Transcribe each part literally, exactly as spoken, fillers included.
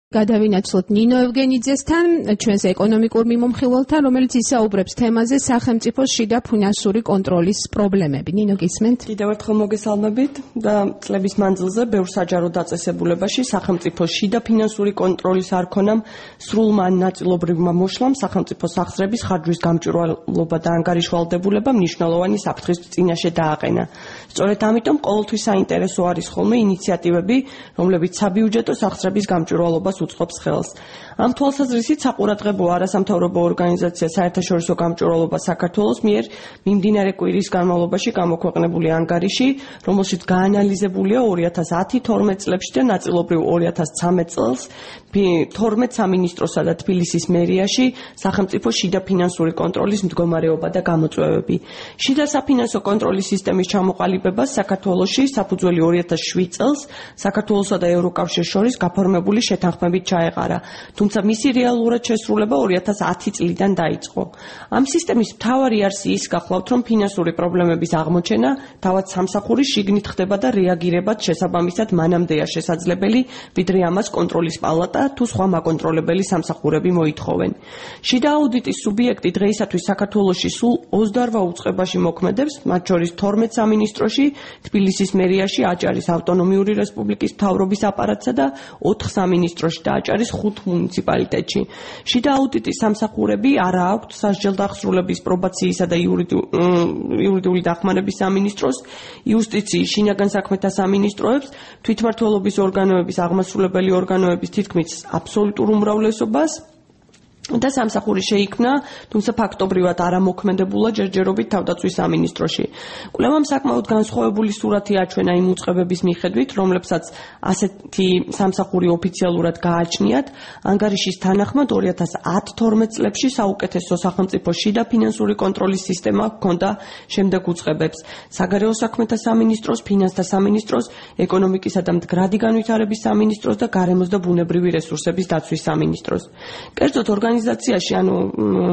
გადავინაცვლოთ ნინო ევგენიძესთან, ჩვენს ეკონომიკურ მიმომხილველთან, რომელიც ისაუბრებს თემაზე სახელმწიფოს შიდა ფინანსური კონტროლის პრობლემები. ნინო, გისმენთ? კიდევ ერთხელ მოგესალმებით და წლების მანძილზე ბევრ საჯარო დაწესებულებაში სახელმწიფოს შიდა ფინანსური კონტროლის არქონამ სრულმა ან ნაწილობრივმა მოშლამ სახელმწიფოს სახსრების ხარჯვის გამჭვირვალობა და ანგარიშვალდებულება მნიშვნელოვანი საფრთხის წინაშე დააყენა. სწორედ ამიტომ ყოველთვის საინტერესო არის ხოლმე ინიციატივები, რომლებიც საბიუჯეტო სახსრების გამჭვირვალობას უწყობს ხელს. ამ თვალსაზრისით საყურადღებო არასამთავრობო ორგანიზაცია საერთაშორისო გამჭვირვალობა საქართველოს მიერ მიმდინარე კვირის განმავლობაში გამოქვეყნებული ანგარიში, რომელშიც გაანალიზებულია ორი ათას ათი თორმეტ წლებში და ნაწილობრივ ორი ათას ცხრამეტ წელს თორმეტ სამინისტროსა და თბილისის მერიაში სახელმწიფოს შიდა ფინანსური კონტროლის მდგომარეობა და გამოწვევები. შიდა საფინანსო კონტროლის სისტემის ჩამოყალიბებას საქართველოში საფუძველი ორი ათას შვიდ წელს საქართველოსა და ევროკავშირს შორის გაფორმებული შეთანხმებით ჩაეყარა, თუმცა მისი რეალურად შესრულება ორი ათას ათი წლიდან დაიწყო. ამ სისტემის მთავარი არსი ის გახლავთ, რომ ფინანსური პრობლემების აღმოჩენა თავად სამსახურის შიგნით ხდება და რეაგირებაც შესაბამისად მანამდეა შესაძლებელი, ვიდრე ამას კონტროლის პალატა თუ სხვა მაკონტროლებელი სამსახურები მოითხოვენ. შიდა აუდიტის სუბიექტი დღეისათვის საქართველოში სულ ოცდაორ უწყებაში მოქმედებს, მათ შორის თორმეტ სამინისტროში, თბილისის მერიაში, აჭარის ავტონომიური რესპუბლიკის მთავრობის აპარატსა და ოთხ სამინისტროში და აჭარის ხუთ მუნიციპალიტეტში. შიდა აუდიტის სამსახურები არა აქვთ სასჯელდახსრულების, პრობაციისა და იურიდიული დახმარების სამინისტროს, იუსტიციის, შინაგან საქმეთა სამინისტროებს, თვითმმართველობის ორგანოების, აღმასრულებელი ორგანოების თითქმის აბსოლუტურ უმრავლესობას და სამსახური შეიქმნა, თუმცა ფაქტობრივად არამოქმედებულა ჯერჯერობით თავდაცვის სამინისტროში. კვლევამ საკმაოდ განსხვავებული სურათი აჩვენა იმ უწყებების მიხედვით, რომლებსაც ასეთი სამსახური ოფიციალურად გააჩნიათ. ანგარიშის თანახმად ორი ათას ათი თორმეტ წლებში საუკეთესო სახელმწიფო შიდა ფინანსური კონტროლის სისტემა ჰქონდა შემდეგ უწყებებს: საგარეო საქმეთა სამინისტროს, ფინანსთა სამინისტროს, ეკონომიკისა და მდგრადი განვითარების სამინისტროს და გარემოს და ბუნებრივი რესურსების დაცვის სამინისტროს. კერძოდ ორგანიზაციაში, ანუ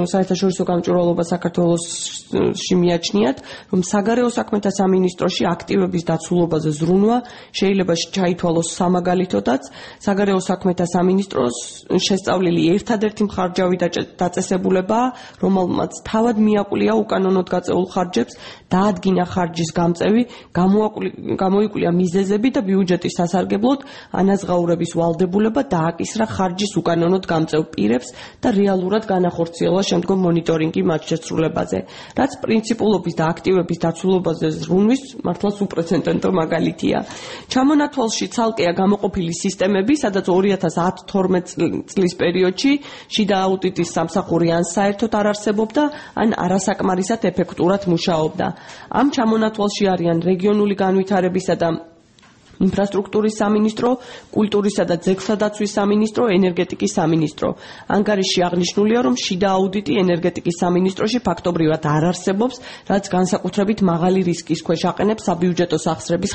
საერთაშორისო გამჭვირვალობა საქართველოში მიაჩნიათ, რომ საგარეო საქმეთა სამინისტროში აქტივების დაცულობაზე ზრუნვა შეიძლება ჩაითვალოს სამაგალითოდაც. საგარეო საქმეთა სამინისტროს შესწავლილი ერთადერთი მხარჯავი დაწესებულებაა, რომელმაც თავად მიაკვლია უკანონოდ გაწეულ ხარჯებს, დაადგინა ხარჯის გამწევი, გამოიკვლია მიზეზები და ბიუჯეტის სასარგებლოდ ანაზღაურების ვალდებულება, დააკისრა ხარჯის უკანონოდ გამწევ პირებს და რეალურად განახორციელა შემდგომ მონიტორინგი მათ შესრულებაზე, რაც პრინციპულობის და აქტივების დაცულობაზე ზრუნვის მართლაც უპრეცედენტო მაგალითია. ჩამონათვალში ცალკეა გამოყოფილი სისტემები, სადაც ორი ათას ათი თორმეტ წლის პერიოდში შიდა აუდიტის სამსახური ან საერთოდ არ არსებობდა, ან არასაკმარისად ეფექტურად მუშაობდა. ამ ჩამონათვალში არიან რეგიონული განვითარებისა და ინფრასტრუქტურის სამინისტრო, კულტურისა და ძეგლთა დაცვის სამინისტრო, ენერგეტიკის სამინისტრო. ანგარიში აღნიშნულია, რომ შიდა აუდიტი ენერგეტიკის სამინისტროში ფაქტობრივად არ არსებობს, რაც განსაკუთრებით მაღალი რისკის ქვეშ აყენებს საბიუჯეტო სახსრების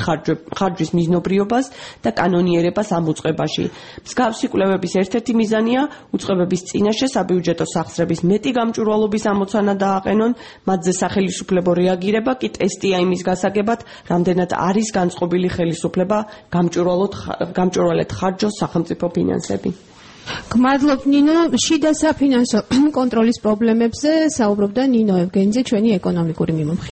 ხარჯვის მიზნობრიობას და კანონიერებას ამ უწყებაში. მსგავსი კვლევების ერთ-ერთი მიზანია უწყებების წინაშე საბიუჯეტო სახსრების მეტი გამჭვირვალობის ამოცანა დააყენონ, მათზე სახელისუფლებო რეაგირება კი ტესტია იმის გასაგებად, რამდენად არის განწყობილი ხელისუფლება გამჭვირვალედ ხარჯოს სახელმწიფო ფინანსები. გმადლობ ნინო, შიდა საფინანსო კონტროლის პრობლემებზე საუბრობდა ნინო ევგენიძე, ჩვენი ეკონომიკური მიმომხილველი.